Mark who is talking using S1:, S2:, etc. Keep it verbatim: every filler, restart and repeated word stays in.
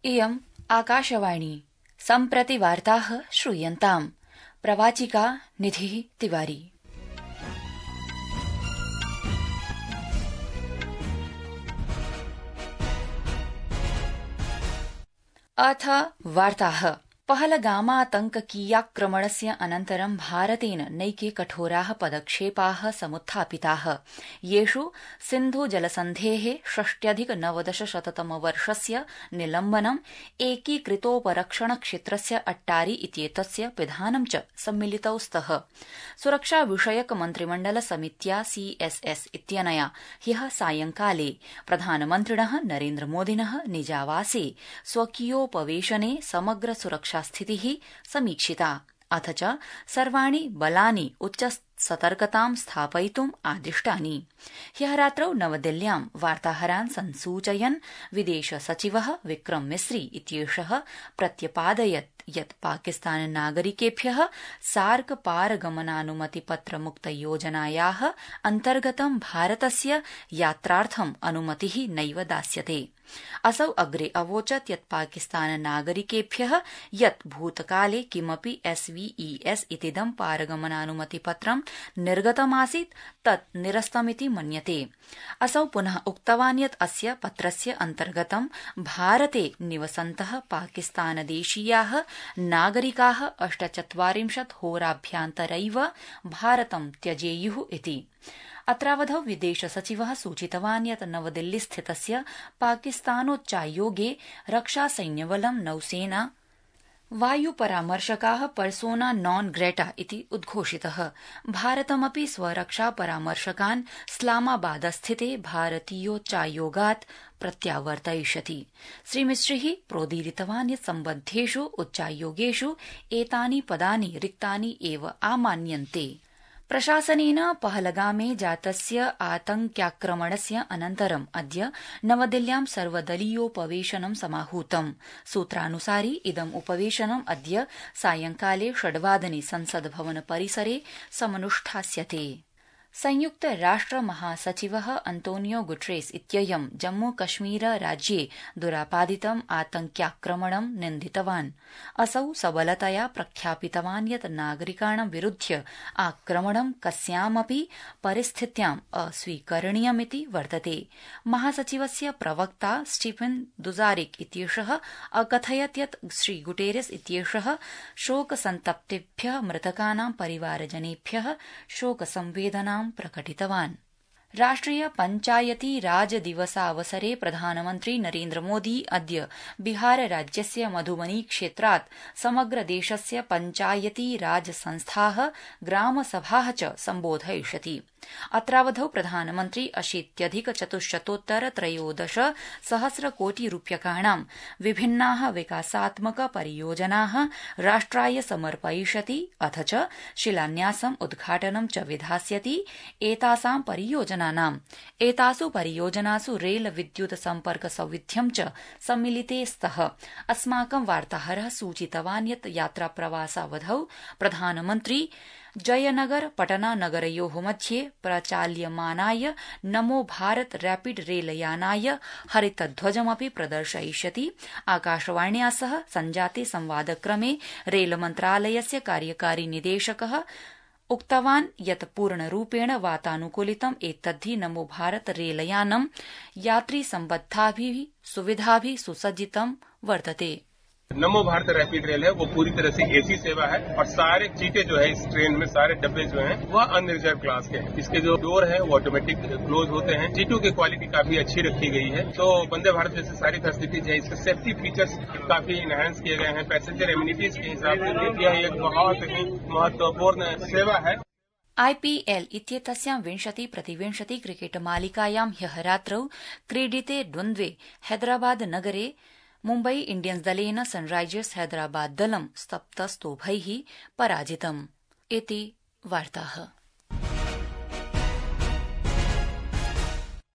S1: इयम् आकाशवाणी सम्प्रति वार्ताः श्रूयन्ताम्। प्रवाचिका निधिः तिवारी। अथ वार्ताः। पहलगामातंककीयाक्रमणस्य अनन्तरं भारतेन नैके कठोराः पदक्षेपाः समुत्थापिताः, येषु सिन्धुजलसन्धेः षष्ट्यधिक नवदशशततमवर्षस्य निलम्बनम्, एकीकृतोपरक्षणक्षेत्रस्य अट्टारी इत्येतस्य पिधानं च सम्मिलितौ स्तः। सुरक्षाविषयक मन्त्रिमण्डलसमित्या सीएसएस इत्यनया ह्यः सायंकाले प्रधानमन्त्रिणः नरेन्द्रमोदिनः निजावासे स्वकीयोपवेशने समग्र सुरक्षा स्थितिः समीक्षिता, अथ च सर्वाणि बलानि उच्चसतर्कतां स्थापयितुम् आदिष्टानि। ह्यः रात्रौ नवदिल्ल्यां वार्ताहरान् संसूचयन् विदेश सचिवः विक्रम मिस्री इत्येषः प्रत्यपादयत् यत् पाकिस्तान नागरिकेभ्यः सार्क पारगमनानुमतिपत्रमुक्तयोजनायाः अन्तर्गतं भारतस्य यात्रार्थम् अनुमतिः नैव दास्यते। असौ अग्रे अवोचत् यत् पाकिस्तान नागरिकेभ्यः यत् भूतकाले किमपि एसवीईएस इतीदं पारगमनानुमतिपत्रं निर्गतमासीत् तत् निरस्तमिति मन्यते। असौ पुनः उक्तवान् यत् अस्य पत्रस्य अन्तर्गतं भारते निवसन्तः पाकिस्तानदेशीयाः नागरिकाः अष्टचत्वारिंशत् होराभ्यन्तरैव भारतं त्यजेयुः इति। अत्रावधौ विदेश सचिवः सूचितवान् यत् नवदिल्लीस्थितस्य पाकिस्तानोच्चायोगे रक्षासैन्यबलं, नौसेना, वायुपरामर्शकाः पर्सोना नॉन ग्रेटा इति उद्घोषितः। भारतमपि स्वरक्षापरामर्शकान् इस्लामाबादस्थिते भारतीयोच्चायोगात् प्रत्यावर्तयिष्यति। श्रीमिश्रिः प्रोदीरितवान् यत् सम्बद्धेषु उच्चायोगेषु एतानि पदानि रिक्तानि एव आमान्यन्ते। प्रशासनेन पहलगामे जातस्य आतंक्याक्रमणस्य अनन्तरं अद्य नवदिल्ल्यां सर्वदलीयोपवेशनं समाहूतम्। सूत्रानुसारि इदम् उपवेशनम् अद्य सायंकाले षड्वादने संसद्भवन परिसरे समनुष्ठास्यते। संयुक्त राष्ट्र महासचिवः अंतोनियो गुटेरेस इत्ययं जम्मू कश्मीर राज्ये दुरापादितम् आतंक्याक्रमणं निन्दितवान्। असौ सबलतया प्रख्यापितवान् यत् नागरिकाणां विरुध्य आक्रमणं कस्यामपि परिस्थित्याम् अस्वीकरणीयमिति वर्तते। महासचिवस्य प्रवक्ता स्टीफन दुजारिक इत्येषः अकथयत् यत् श्री गुटेरेस इत्येषः शोकसन्तप्तेभ्यः मृतकानां परिवारजनेभ्यः शोकसंवेदनां प्रकटितवान्। राष्ट्रिय पञ्चायती राज दिवसावसरे प्रधानमन्त्री नरेन्द्रमोदी अद्य बिहार राज्यस्य मधुबनी क्षेत्रात् समग्र देशस्य पञ्चायती राज संस्थाः, ग्रामसभाः च सम्बोधयिष्यति। अत्रावधौ प्रधानमन्त्री अशीत्यधिक चतुश्शतोत्तर त्रयोदश सहस्र कोटि रूप्यकाणां विभिन्नाः विकासात्मक परियोजनाः राष्ट्राय समर्पयिष्यति, अथ च शिलान्यासम् उद्घाटनं च विधास्यति। एतासां परियोजनानाम् एतासु परियोजनासु रेल विद्युत सम्पर्क सौविध्यं च सम्मिलिते स्तः। अस्माकं वार्ताहरः सूचितवान् यत् यात्राप्रवासावधौ प्रधानमन्त्री जयनगर पटना नगरयोः मध्ये प्रचाल्यमानाय नमो भारत रैपिड रेलयानाय हरितध्वजमपि प्रदर्शयिष्यति। आकाशवाण्या सह सञ्जाते संवादक्रमे रेलमन्त्रालयस्य कार्यकारी निदेशकः उक्तवान् यत् पूर्णरूपेण वातानुकूलितम् एतद्धि नमो भारत रेलयानं यात्रीसम्बद्धाभिः सुविधाभिः सुसज्जितं वर्तते।
S2: नमो भारत रैपिड रेल है वो पूरी तरह से एसी सेवा है और सारे सीटें जो है इस ट्रेन में, सारे डब्बे जो हैं वह अनरिजर्व क्लास के हैं। इसके जो डोर है वो ऑटोमेटिक क्लोज होते हैं। सीटों की क्वालिटी काफी अच्छी रखी गई है। तो वंदे भारत जैसे सारी फैसिलिटीज है, इसके सेफ्टी फीचर्स काफी इनहेंस किए गए हैं। पैसेंजर एम्यूनिटीज के हिसाब से यह एक बहुत ही महत्वपूर्ण सेवा है।
S1: आईपीएल इत्येतस्यां विंशति प्रतिविंशति क्रिकेट मालिकायां ह्यः रात्रौ क्रीडिते द्वन्द्वे हैदराबाद नगरे मुम्बई इण्डियन्स् दलेन सनराइजर्स हैदराबाद दलं सप्तस्तोभैः पराजितम्। इति वार्ताः।